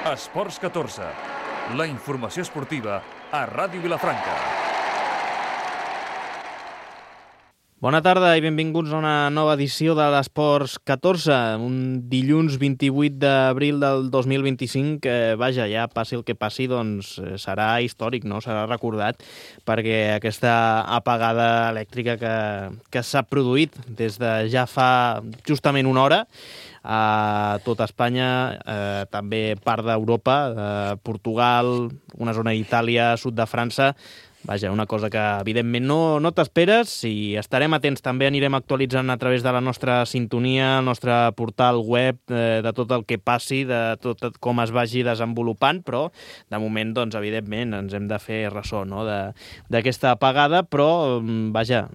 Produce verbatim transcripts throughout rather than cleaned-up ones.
Esports catorze, la informació esportiva a Ràdio Vilafranca. Bona tarda i benvinguts a una nova edició de l'Esports catorze, un dilluns vint-i-vuit d'abril del dos mil vint-i-cinc, que, vaja, ja passi el que passi, doncs serà històric, no? Serà recordat, perquè aquesta apagada elèctrica que, que s'ha produït des de ja fa justament una hora, a tota Espanya, eh, també part d'Europa, eh, Portugal, una zona d'Itàlia, sud de França. Vaja, una cosa que evidentment no, no t'esperes, i estarem atents, també anirem actualitzant a través de la nostra sintonia, el nostre portal web, eh, de tot el que passi, de tot com es vagi desenvolupant, però de moment, doncs, evidentment, ens hem de fer ressò, no?, d'aquesta apagada, però, vaja,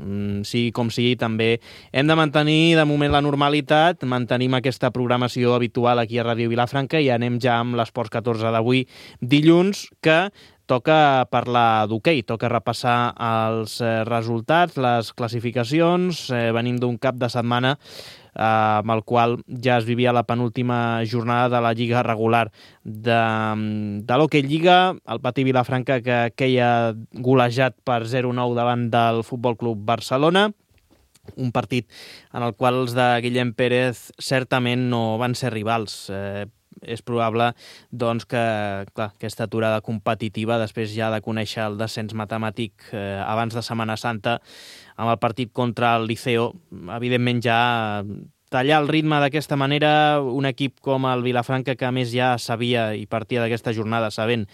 sigui com sigui, també hem de mantenir de moment la normalitat, mantenim aquesta programació habitual aquí a Ràdio Vilafranca i anem ja amb l'Esports catorze d'avui, dilluns, que toca parlar d'hoquei, toca repassar els resultats, les classificacions. Eh, venim d'un cap de setmana eh, amb el qual ja es vivia la penúltima jornada de la Lliga regular de, de l'Hoquei Lliga. El Patí Vilafranca, que queia golejat per zero nou davant del Futbol Club Barcelona. Un partit en el qual els de Guillem Pérez certament no van ser rivals. Eh, és probable, doncs, que clar, aquesta aturada competitiva, després ja de conèixer el descens matemàtic eh, abans de Setmana Santa, amb el partit contra el Liceo, evidentment ja tallar el ritme d'aquesta manera, un equip com el Vilafranca, que a més ja sabia i partia d'aquesta jornada sabent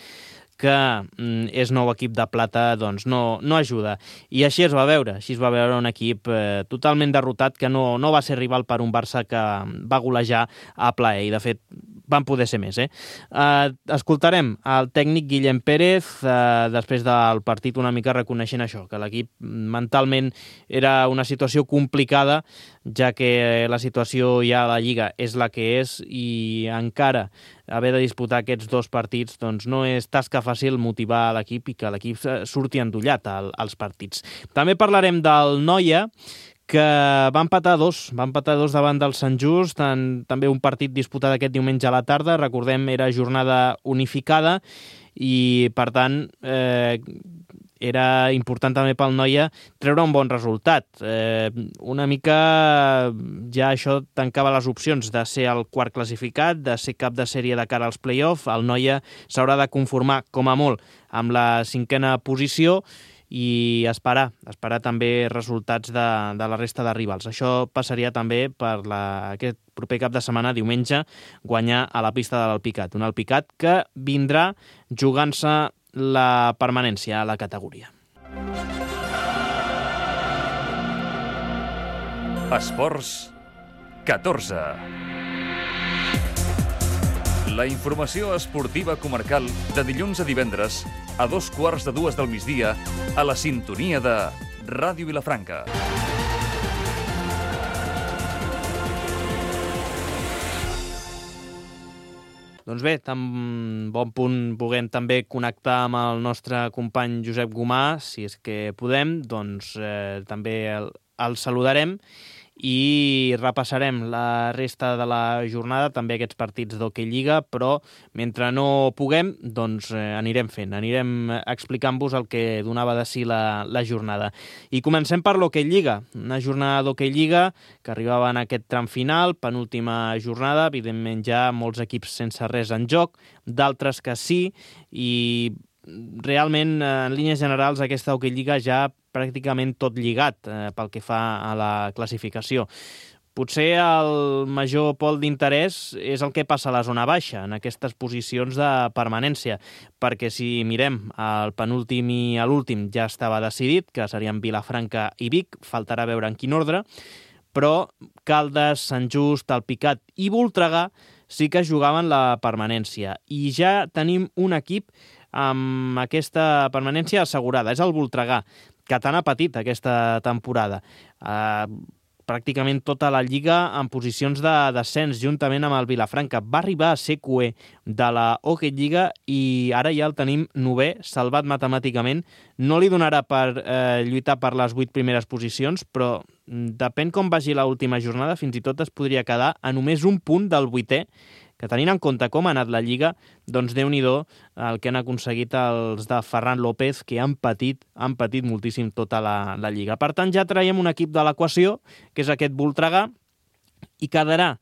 que mm, és nou equip de plata, doncs no, no ajuda. I així es va veure, així es va veure un equip eh, totalment derrotat, que no, no va ser rival per un Barça que va golejar a plaer, i de fet van poder ser més. Eh? Eh, escoltarem el tècnic Guillem Pérez, eh, després del partit, una mica reconeixent això, que l'equip mentalment era una situació complicada, ja que la situació ja a la Lliga és la que és, i encara haver de disputar aquests dos partits doncs no és tasca fàcil motivar l'equip i que l'equip surti endollat als partits. També parlarem del Noia, que va empatar dos, va empatar dos davant del Sant Just, en, també un partit disputat aquest diumenge a la tarda, recordem, era jornada unificada, i per tant eh, era important també pel Noia treure un bon resultat. Eh, una mica ja això tancava les opcions de ser el quart classificat, de ser cap de sèrie de cara als play-off. El Noia s'haurà de conformar, com a molt, amb la cinquena posició, i esperar, esperar també resultats de, de la resta de rivals. Això passaria també per la, aquest proper cap de setmana, diumenge, guanyar a la pista de l'Alpicat. Un Alpicat que vindrà jugant-se la permanència a la categoria. Esports catorze. La informació esportiva comarcal de dilluns a divendres a dos quarts de dues del migdia a la sintonia de Ràdio Vilafranca. Doncs bé, tan bon punt puguem també connectar amb el nostre company Josep Gomà, si és que podem, doncs eh, també el, el saludarem i repassarem la resta de la jornada, també aquests partits d'Hoquei Lliga, però mentre no puguem, doncs eh, anirem fent, anirem explicant-vos el que donava de si la, la jornada. I comencem per l'Hoquei Lliga, una jornada d'Hoquei Lliga que arribava en aquest tram final, penúltima jornada, evidentment ja molts equips sense res en joc, d'altres que sí, i realment, en línies generals, aquesta Hoquei Lliga ja pràcticament tot lligat eh, pel que fa a la classificació. Potser el major pol d'interès és el que passa a la zona baixa, en aquestes posicions de permanència, perquè si mirem el penúltim i l'últim ja estava decidit, que serien Vilafranca i Vic, faltarà veure en quin ordre, però Caldes, Sant Just, Alpicat i Voltregà sí que jugaven la permanència. I ja tenim un equip amb aquesta permanència assegurada, és el Voltregà, que tant ha patit aquesta temporada. Uh, pràcticament tota la Lliga en posicions de descens, juntament amb el Vilafranca. Va arribar a ser cuer de la Hoquei Lliga i ara ja el tenim novè, salvat matemàticament. No li donarà per eh, lluitar per les vuit primeres posicions, però depèn com vagi l'última jornada, fins i tot es podria quedar a només un punt del vuitè, que tenint en compte com ha anat la Lliga, doncs Déu-n'hi-do el que han aconseguit els de Ferran López, que han patit, han patit moltíssim tota la, la Lliga. Per tant, ja traiem un equip de l'equació, que és aquest Voltregà, i quedarà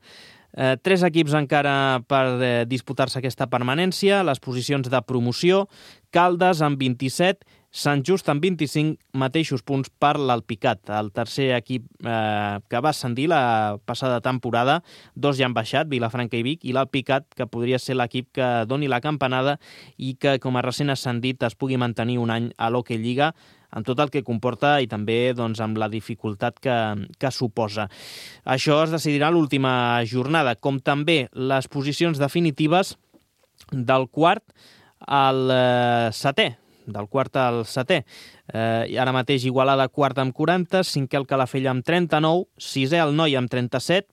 eh, tres equips encara per eh, disputar-se aquesta permanència, les posicions de promoció, Caldes amb vint-i-set, Sant Just amb vint-i-cinc, mateixos punts per l'Alpicat, el tercer equip eh, que va ascendir la passada temporada. Dos ja han baixat, Vilafranca i Vic, i l'Alpicat, que podria ser l'equip que doni la campanada i que, com a recent ascendit, es pugui mantenir un any a l'Hockey Lliga, amb tot el que comporta i també doncs, amb la dificultat que, que suposa. Això es decidirà a l'última jornada, com també les posicions definitives del quart al eh, setè, del quart al setè. Eh, ara mateix Igualada quart amb quaranta, cinquè el Calafell amb trenta-nou, sisè el Noia amb trenta-set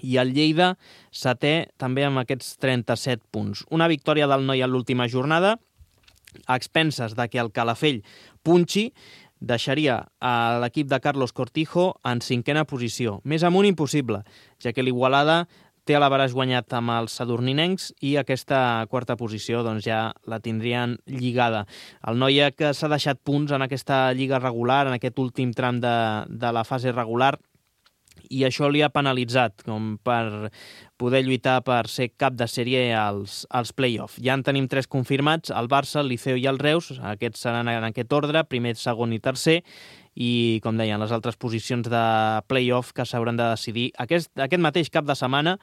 i el Lleida setè també amb aquests trenta-set punts. Una victòria del Noia en l'última jornada, a expenses de que el Calafell punxi, deixaria a l'equip de Carlos Cortijo en cinquena posició. Més amunt impossible, ja que l'Igualada té a l'Avaràs guanyat amb els sadurninencs i aquesta quarta posició doncs, ja la tindrien lligada. El Noia, que s'ha deixat punts en aquesta lliga regular, en aquest últim tram de, de la fase regular, i això li ha penalitzat com per poder lluitar per ser cap de sèrie als, als play-off. Ja en tenim tres confirmats, el Barça, el Liceo i el Reus. Aquests seran en aquest ordre, primer, segon i tercer, i, com deien, les altres posicions de play-off que s'hauran de decidir aquest, aquest mateix cap de setmana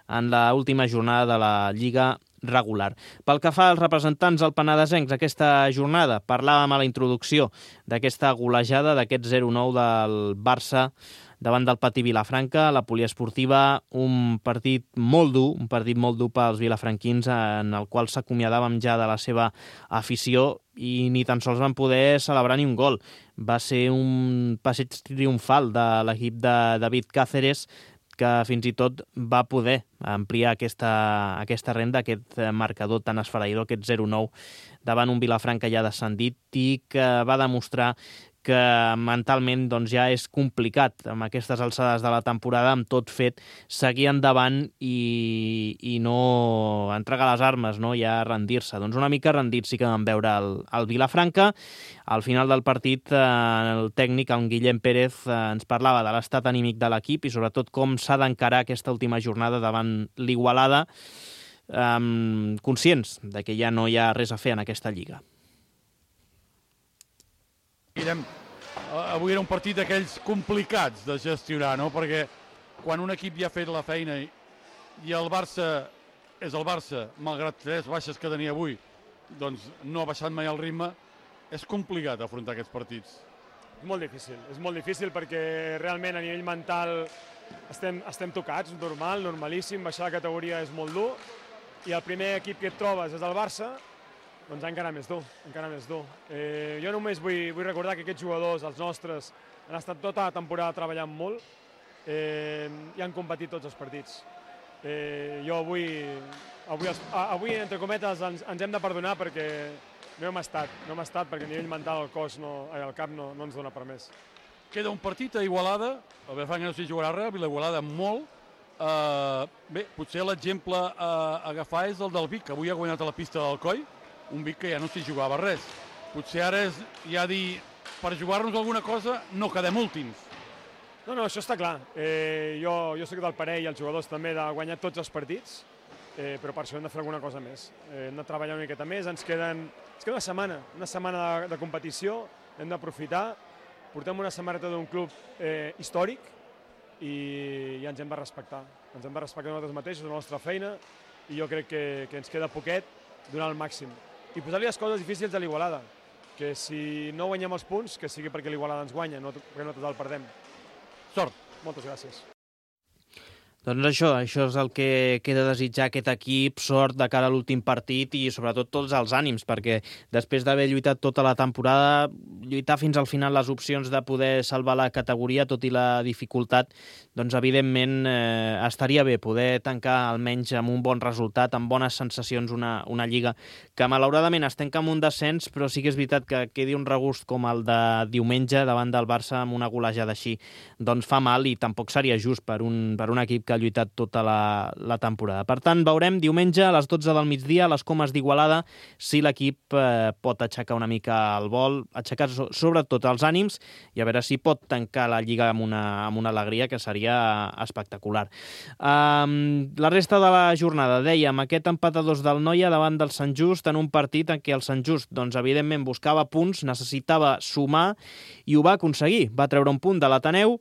en l'última jornada de la Lliga regular. Pel que fa als representants alpenadesencs aquesta jornada, parlàvem a la introducció d'aquesta golejada, d'aquest zero nou del Barça davant del Patí Vilafranca, la poliesportiva, un partit molt dur, un partit molt dur pels vilafranquins, en el qual s'acomiadàvem ja de la seva afició i ni tan sols van poder celebrar ni un gol. Va ser un passeig triomfal de l'equip de David Cáceres, que fins i tot va poder ampliar aquesta, aquesta renda, aquest marcador tan esfereïdor, aquest zero nou, davant un Vilafranca ja descendit i que va demostrar que mentalment doncs, ja és complicat amb aquestes alçades de la temporada, amb tot fet, seguir endavant i, i no entregar les armes, no? Ja rendir-se. Doncs una mica rendit sí que vam veure el, el Vilafranca. Al final del partit, eh, el tècnic, el Guillem Pérez, eh, ens parlava de l'estat anímic de l'equip i sobretot com s'ha d'encarar aquesta última jornada davant l'Igualada, eh, conscients de que ja no hi ha res a fer en aquesta lliga. Guillem, avui era un partit d'aquells complicats de gestionar, no? Perquè quan un equip ja ha fet la feina i, i el Barça és el Barça, malgrat tres baixes que tenia avui, doncs no ha baixat mai el ritme, és complicat afrontar aquests partits. És molt difícil, és molt difícil perquè realment a nivell mental estem, estem tocats, normal, normalíssim, baixar la categoria és molt dur i el primer equip que et trobes és el Barça, doncs encara més dur, encara més dur. Eh, jo només vull, vull recordar que aquests jugadors, els nostres, han estat tota la temporada treballant molt eh, i han competit tots els partits. Eh, jo avui, avui, avui, entre cometes, ens, ens hem de perdonar perquè no hem estat, no hem estat perquè a nivell mental el cos, no, el cap no, no ens dona per més. Queda un partit a Igualada, el Vilafranca no s'hi jugarà res, a Igualada molt. Uh, bé, potser l'exemple a agafar és el del Vic, que avui ha guanyat a la pista del Coll, un Vic que ja no s'hi jugava res. Potser ara és ja dir, per jugar-nos alguna cosa, no quedem últims. No, no, això està clar. Eh, jo, jo soc del parell i els jugadors també de guanyar tots els partits, eh, però per això hem de fer alguna cosa més. Eh, hem de treballar una miqueta més, ens, queden, ens queda una setmana, una setmana de, de competició, hem d'aprofitar, portem una samarreta d'un club eh, històric i, i ens hem de respectar. Ens hem de respectar nosaltres mateixos, la nostra feina, i jo crec que, que ens queda poquet donar el màxim. I posar-li les coses difícils a l'Igualada, que si no guanyem els punts, que sigui perquè l'Igualada ens guanya, no perquè nosaltres el perdem. Sort. Moltes gràcies. Doncs això, això és el que queda a desitjar aquest equip, sort de cara a l'últim partit i sobretot tots els ànims, perquè després d'haver lluitat tota la temporada, lluitar fins al final les opcions de poder salvar la categoria, tot i la dificultat, doncs evidentment eh, estaria bé poder tancar almenys amb un bon resultat, amb bones sensacions, una, una lliga que malauradament es tanca amb un descens, però sí que és veritat que quedi un regust com el de diumenge davant del Barça amb una golejada així, doncs fa mal i tampoc seria just per un, per un equip que ha lluitat tota la, la temporada. Per tant, veurem diumenge a les dotze del migdia a les Comes d'Igualada si l'equip eh, pot aixecar una mica el vol, aixecar so, sobretot els ànims i a veure si pot tancar la Lliga amb una, amb una alegria que seria espectacular. Um, la resta de la jornada, dèiem, aquest empat a dos del Noia davant del Sant Just en un partit en què el Sant Just, doncs, evidentment, buscava punts, necessitava sumar i ho va aconseguir. Va treure un punt de l'Ateneu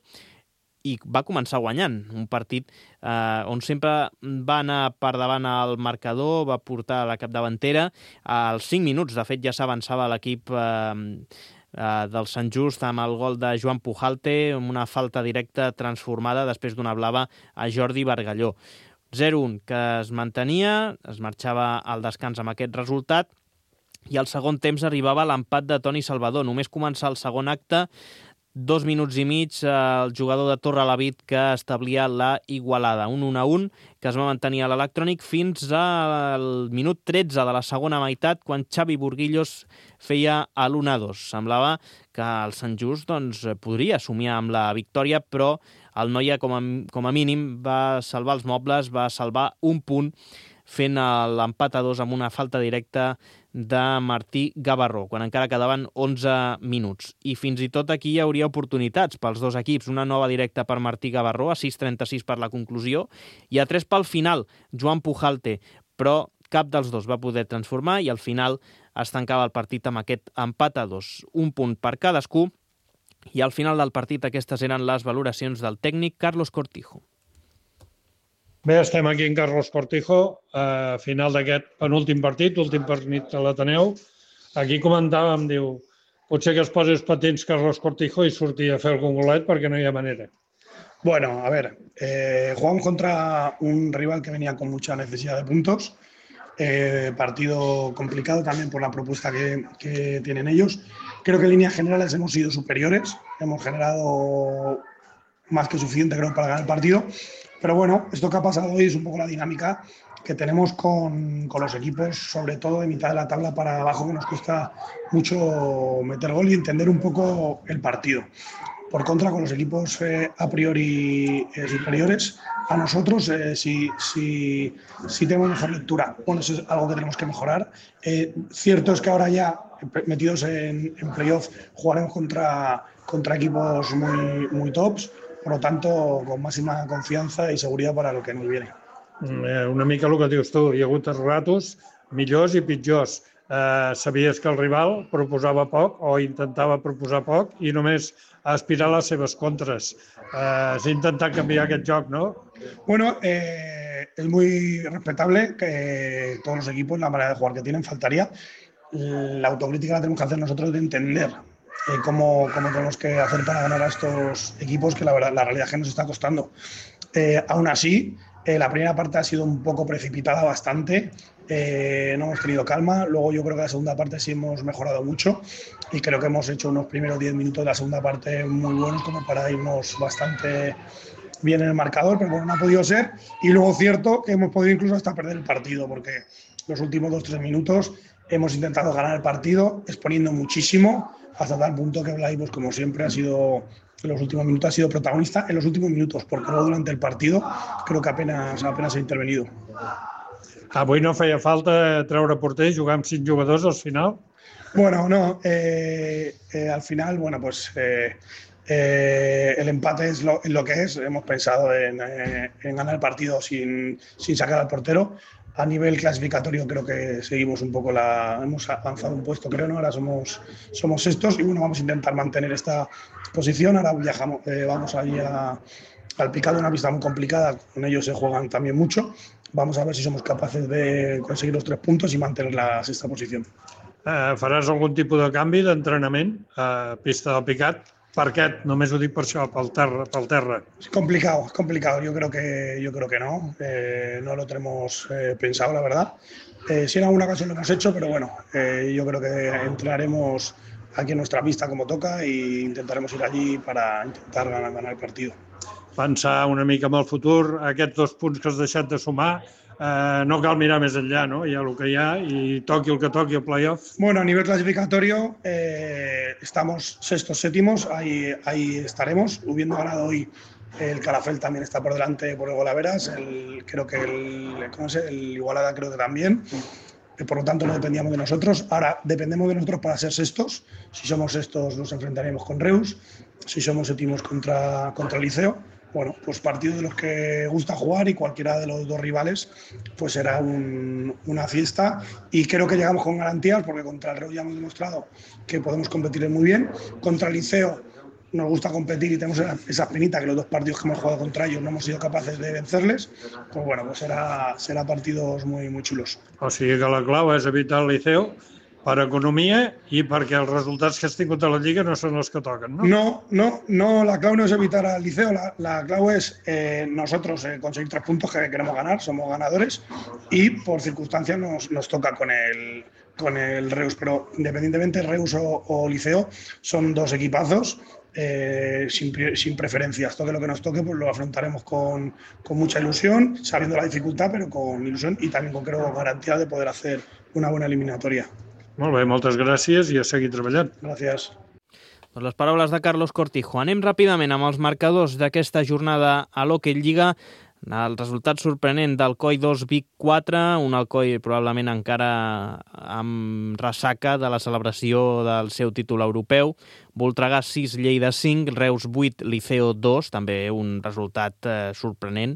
i va començar guanyant. Un partit eh, on sempre va anar per davant al marcador, va portar la capdavantera. Als cinc minuts, de fet, ja s'avançava l'equip eh, eh, del Sant Just amb el gol de Joan Pujalte, amb una falta directa transformada després d'una blava a Jordi Bargalló. zero un que es mantenia, es marxava al descans amb aquest resultat, i al segon temps arribava l'empat de Toni Salvador. Només començar el segon acte, dos minuts i mig, el jugador de Torrelavit que establia la igualada. Un un a un que es va mantenir a l'Electrònic fins al minut tretze de la segona meitat, quan Xavi Burguillos feia l'un a dos. Semblava que el Sant Just doncs, podria somiar amb la victòria, però el Noia, com a, com a mínim, va salvar els mobles, va salvar un punt, fent l'empat a dos amb una falta directa de Martí Gavarró, quan encara quedaven onze minuts. I fins i tot aquí hi hauria oportunitats pels dos equips. Una nova directa per Martí Gavarró, a sis trenta-sis per la conclusió, i a tres pel final, Joan Pujalte, però cap dels dos va poder transformar i al final es tancava el partit amb aquest empat a dos. Un punt per cadascú, i al final del partit aquestes eren les valoracions del tècnic Carlos Cortijo. Bé, estem aquí en Carlos Cortijo, a final d'aquest penúltim partit, últim partit a l'Ateneu. Aquí comentàvem, diu, potser que es posi els patins Carlos Cortijo i surti a fer algun golet perquè no hi ha manera. Bueno, a ver, eh, jugamos contra un rival que venía con mucha necesidad de puntos. Eh, partido complicado también por la propuesta que, que tienen ellos. Creo que en líneas generales hemos sido superiores, hemos generado más que suficiente, creo, para ganar el partido. Pero bueno, esto que ha pasado hoy es un poco la dinámica que tenemos con, con los equipos, sobre todo de mitad de la tabla para abajo, que nos cuesta mucho meter gol y entender un poco el partido. Por contra, con los equipos eh, a priori eh, superiores a nosotros, eh, sí, sí, sí tenemos mejor lectura. Bueno, eso es algo que tenemos que mejorar. Eh, cierto es que ahora ya, metidos en, en playoff, jugaremos contra, contra equipos muy, muy tops. Per lo tanto, con máxima confiança i seguretat per a lo que nos viene. Una mica el que dius tu, hi ha hagut ratos millors i pitjors. Eh, sabies que el rival proposava poc o intentava proposar poc i només aspirar a les seves contres. Eh, S'ha intentat canviar aquest joc, ¿no? Bueno, eh, es muy respetable que todos los equipos, la manera de jugar que tienen, faltaría. La autocrítica la tenemos que hacer nosotros de entender Eh, cómo, cómo tenemos que hacer para ganar a estos equipos, que la verdad, la realidad es que nos está costando. Eh, aún así, eh, la primera parte ha sido un poco precipitada bastante, eh, no hemos tenido calma. Luego yo creo que la segunda parte sí hemos mejorado mucho y creo que hemos hecho unos primeros diez minutos de la segunda parte muy buenos como para irnos bastante bien en el marcador, pero bueno, no ha podido ser. Y luego cierto que hemos podido incluso hasta perder el partido, porque los últimos dos o tres minutos hemos intentado ganar el partido exponiendo muchísimo, hasta tal punto que Blai, pues como siempre, ha sido, en los últimos minutos, ha sido protagonista en los últimos minutos, porque luego durante el partido creo que apenas, apenas ha intervenido. Avui no feia falta treure porter i jugar amb cinc jugadors al final? Bueno, no. Eh, eh, al final, bueno, pues eh, eh, el empate es lo, es lo que es. Hemos pensado en, eh, en ganar el partido sin, sin sacar al portero. A nivel clasificatorio creo que seguimos un poco la... Hemos avanzado un puesto, creo, ¿no? Ahora somos, somos sextos y bueno, vamos a intentar mantener esta posición. Ahora viajamos, eh, vamos ahí a, al Picado, una pista muy complicada. Con ellos se juegan también mucho. Vamos a ver si somos capaces de conseguir los tres puntos y mantener la sexta posición. Eh, faràs algun tipus de canvi d'entrenament a pista del Picat? Per què? Només ho dic per això, pel terra. Pel terra. Es complicado, es complicado. Yo creo que, yo creo que no. Eh, no lo tenemos eh, pensado, la verdad. Eh, si en alguna ocasión lo hemos hecho, pero bueno, eh, yo creo que entrenaremos aquí en nuestra pista como toca e intentaremos ir allí para intentar ganar, ganar el partido. Pensar una mica en el futur, aquests dos punts que has deixat de sumar, eh, no cal mirar més enllà, no? Hi ha el que hi ha i toqui el que toqui el playoff. Bueno, a nivel clasificatorio eh, estamos sextos, séptimos, ahí, ahí estaremos. Habiendo ganado hoy el Calafell también está por delante por el golaveras, el, creo que el, ¿cómo se? el Igualada creo que también. Por lo tanto, no dependíamos de nosotros. Ahora dependemos de nosotros para ser sextos. Si somos sextos, nos enfrentaremos con Reus. Si somos séptimos, contra, contra el Liceo. Bueno, pues partido de los que gusta jugar y cualquiera de los dos rivales pues será un, una fiesta. Y creo que llegamos con garantías porque contra el Reus ya hemos demostrado que podemos competir muy bien. Contra el Liceo nos gusta competir y tenemos esa penita que los dos partidos que hemos jugado contra ellos no hemos sido capaces de vencerles. Pues bueno, pues será, será partidos muy, muy chulos. O sigui que la clau és evitar el Liceu per economia i perquè els resultats que has tingut a la Lliga no són els que toquen, ¿no? No, no, no, la clau no es evitar al Liceo, la, la clau es eh, nosotros eh, conseguir tres puntos que queremos ganar, somos ganadores y por circunstancias nos, nos toca con el, con el Reus, pero independientemente Reus o, o Liceo son dos equipazos. Eh, sin, sin preferencias, toque lo que nos toque, pues lo afrontaremos con, con mucha ilusión, sabiendo la dificultad, pero con ilusión y también con, creo, garantía de poder hacer una buena eliminatoria. Molt bé, moltes gràcies i a seguir treballant. Gràcies. Doncs les paraules de Carlos Cortijo. Anem ràpidament amb els marcadors d'aquesta jornada a l'Hockey Lliga. El resultat sorprenent d'Alcoi dos, Vic quatre, un Alcoi probablement encara amb ressaca de la celebració del seu títol europeu. Voltregà sis, Lleida cinc, Reus vuit, Liceo dos, també un resultat eh, sorprenent,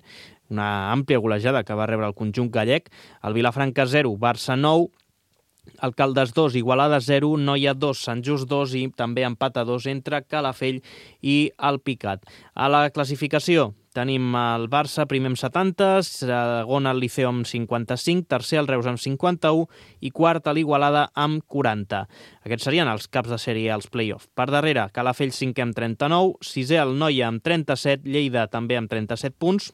una àmplia golejada que va rebre el conjunt gallec. El Vilafranca zero, Barça nou, Alcaldes dos, Igualada zero, Noia dos, Sant Just dos i també empat a dos entre Calafell i el Picat. A la classificació tenim el Barça primer amb setanta, segon el Liceu amb cinquanta-cinc, tercer el Reus amb cinquanta-u i quart l'Igualada amb quaranta. Aquests serien els caps de sèrie als play-off. Per darrere, Calafell cinquè amb trenta-nou, sisè el Noia amb trenta-set, Lleida també amb trenta-set punts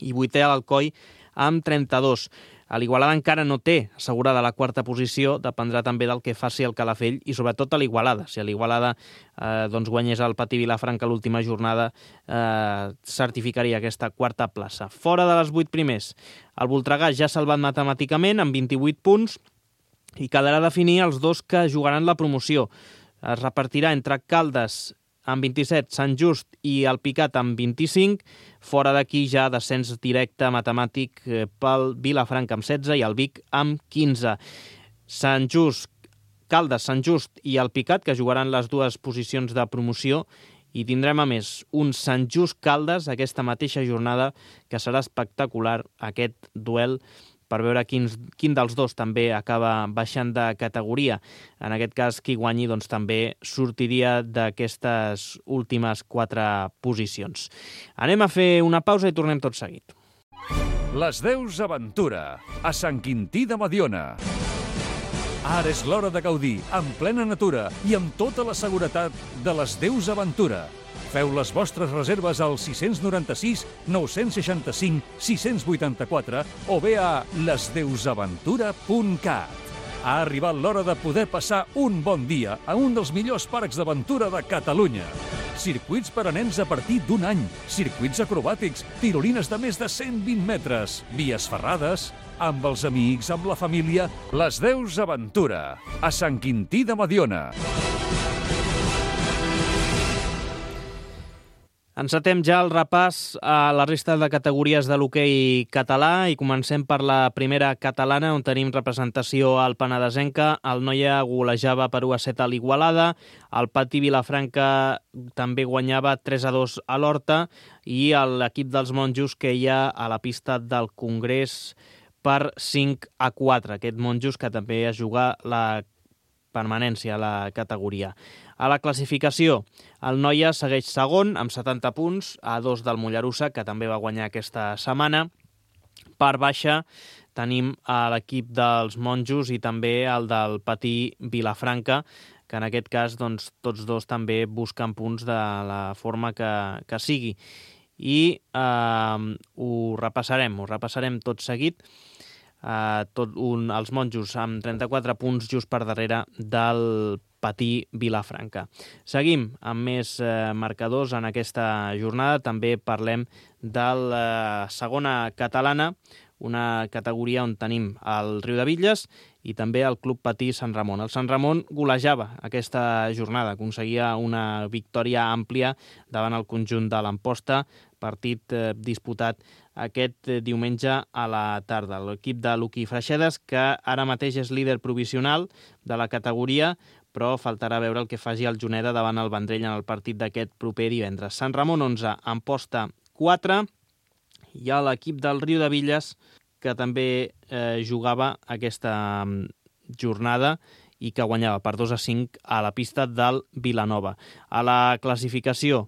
i vuitè l'Alcoi amb trenta-dos. L'Igualada encara no té assegurada la quarta posició, dependrà també del que faci el Calafell i sobretot a l'Igualada. Si l'Igualada eh, doncs guanyés el Patí Vilafranca l'última jornada, eh, certificaria aquesta quarta plaça. Fora de les vuit primers, el Voltregà ja salvat matemàticament amb vint-i-vuit punts i quedarà definir els dos que jugaran la promoció. Es repartirà entre Caldes amb vint-i-set, Sant Just i el Picat amb vint-i-cinc. Fora d'aquí ja descens directe matemàtic pel Vilafranca amb setze i el Vic amb quinze. Sant Just, Caldes, Sant Just i el Picat, que jugaran les dues posicions de promoció, i tindrem a més un Sant Just Caldes aquesta mateixa jornada, que serà espectacular aquest duel per veure quin, quin dels dos també acaba baixant de categoria. En aquest cas, qui guanyi doncs, també sortiria d'aquestes últimes quatre posicions. Anem a fer una pausa i tornem tot seguit. Les Deus Aventura, a Sant Quintí de Mediona. Ara és l'hora de gaudir, en plena natura i amb tota la seguretat de les Deus Aventura. Feu les vostres reserves al sis nou sis, nou sis cinc, sis vuit quatre o bé a les deus aventura punt cat. Ha arribat l'hora de poder passar un bon dia a un dels millors parcs d'aventura de Catalunya. Circuits per a nens a partir d'un any, circuits acrobàtics, tirolines de més de cent vint metres, vies ferrades, amb els amics, amb la família, les Deus Aventura, a Sant Quintí de Mediona. Encetem ja el repàs a la resta de categories de l'hoquei català i comencem per la primera catalana, on tenim representació al Penedesenca. El Noia golejava per u a set a l'Igualada, el Patí Vilafranca també guanyava tres a dos a l'Horta i l'equip dels monjos queia a la pista del Congrés per cinc a quatre. Aquest monjos que també es juga la permanència a la categoria. A la classificació, el Noia segueix segon amb setanta punts, a dos del Mollerussa, que també va guanyar aquesta setmana. Per baixa tenim a l'equip dels monjos i també el del Patí Vilafranca, que en aquest cas doncs, tots dos també busquen punts de la forma que, que sigui. I eh, ho repassarem, ho repassarem tot seguit. Uh, tot un, els monjos amb trenta-quatre punts just per darrere del Patí Vilafranca. Seguim amb més uh, marcadors en aquesta jornada. També parlem de la segona catalana, una categoria on tenim el Riudebitlles i també el Club Patí Sant Ramon. El Sant Ramon golejava aquesta jornada, aconseguia una victòria àmplia davant el conjunt de l'Amposta, partit eh, disputat aquest eh, diumenge a la tarda. L'equip de Luqui Freixedes, que ara mateix és líder provisional de la categoria, però faltarà veure el que faci el Juneda davant el Vendrell en el partit d'aquest proper divendres. Sant Ramon onze, Amposta quatre, hi ha l'equip del Riudebitlles, que també eh, jugava aquesta jornada i que guanyava per dos a cinc a la pista del Vilanova. A la classificació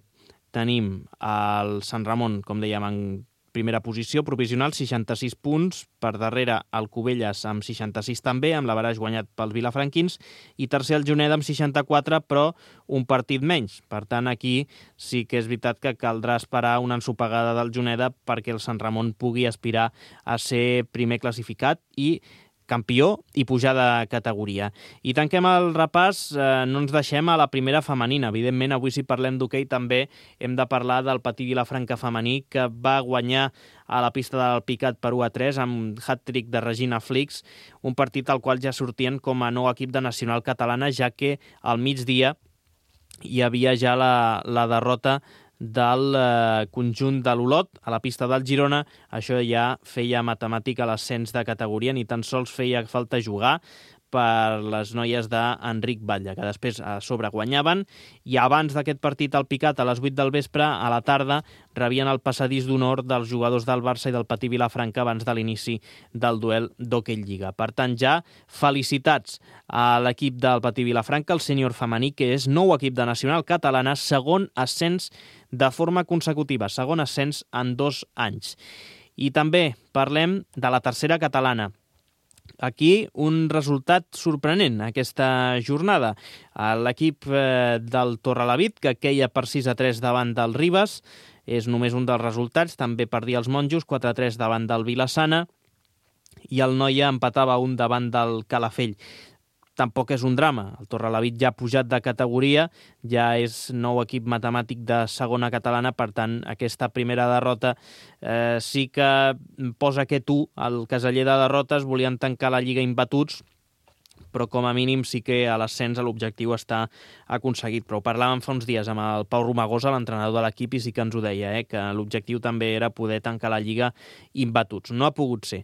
tenim el Sant Ramon, com dèiem, en primera posició, provisional, seixanta-sis punts, per darrere el Cubelles amb seixanta-sis també, amb l'averaix guanyat pels vilafranquins, i tercer el Juneda amb seixanta-quatre, però un partit menys. Per tant, aquí sí que és veritat que caldrà esperar una ensopegada del Juneda perquè el Sant Ramon pugui aspirar a ser primer classificat i campió i pujar de categoria. I tanquem el repàs, eh, no ens deixem a la primera femenina. Evidentment, avui si parlem d'hoquei també hem de parlar del Patí Vilafranca femení, que va guanyar a la pista del Picat per u a tres amb hat-trick de Regina Flix, un partit al qual ja sortien com a nou equip de nacional catalana, ja que al migdia hi havia ja la, la derrota del eh, conjunt de l'Olot a la pista del Girona. Això ja feia matemàtica a l'ascens de categoria, ni tan sols feia falta jugar per les noies d'Enric Batlle, que després a sobre guanyaven, i abans d'aquest partit al Picat, a les vuit del vespre, a la tarda, rebien el passadís d'honor dels jugadors del Barça i del Patí Vilafranca abans de l'inici del duel d'Hoquei Lliga. Per tant, ja felicitats a l'equip del Patí Vilafranca, el sènior femení, que és nou equip de nacional catalana, segon ascens de forma consecutiva, segon ascens en dos anys. I també parlem de la tercera catalana. Aquí un resultat sorprenent aquesta jornada. L'equip del Torrelavit, que queia per sis a tres davant del Ribes, és només un dels resultats. També perdia els monjos, quatre a tres davant del Vilassana, i el Noia empatava un davant del Calafell. Tampoc és un drama. El Torrelavit ja ha pujat de categoria, ja és nou equip matemàtic de segona catalana, per tant, aquesta primera derrota eh, sí que posa aquest u al caseller de derrotes, volien tancar la Lliga imbatuts, però com a mínim sí que a l'ascens l'objectiu està aconseguit. Però ho parlàvem fa uns dies amb el Pau Romagosa, l'entrenador de l'equip, i sí que ens ho deia, eh, que l'objectiu també era poder tancar la Lliga imbatuts. No ha pogut ser.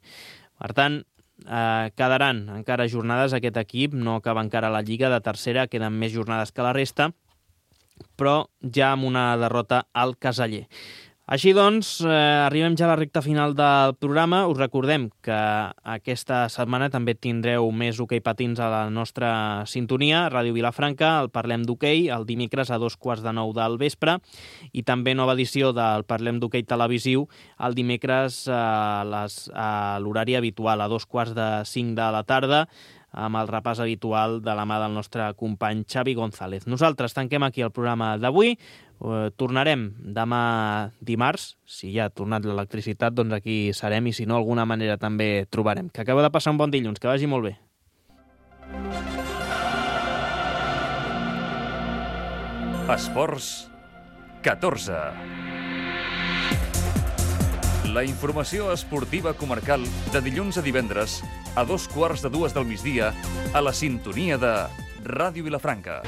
Per tant, Eh, quedaran encara jornades aquest equip, no acaba encara la Lliga de tercera, queden més jornades que la resta, però ja amb una derrota al caseller. Així doncs, eh, arribem ja a la recta final del programa. Us recordem que aquesta setmana també tindreu més hoquei patins a la nostra sintonia, Ràdio Vilafranca, el Parlem d'Hoquei, el dimecres a dos quarts de nou del vespre, i també nova edició del Parlem d'Hoquei televisiu el dimecres a les, a l'horari habitual, a dos quarts de cinc de la tarda, amb el repàs habitual de la mà del nostre company Xavi González. Nosaltres tanquem aquí el programa d'avui. Uh, tornarem demà dimarts. Si ja ha tornat l'electricitat, doncs aquí serem, i si no, alguna manera també trobarem. Que acabeu de passar un bon dilluns, que vagi molt bé. Esports catorze. La informació esportiva comarcal de dilluns a divendres a dos quarts de dues del migdia a la sintonia de Ràdio Vilafranca.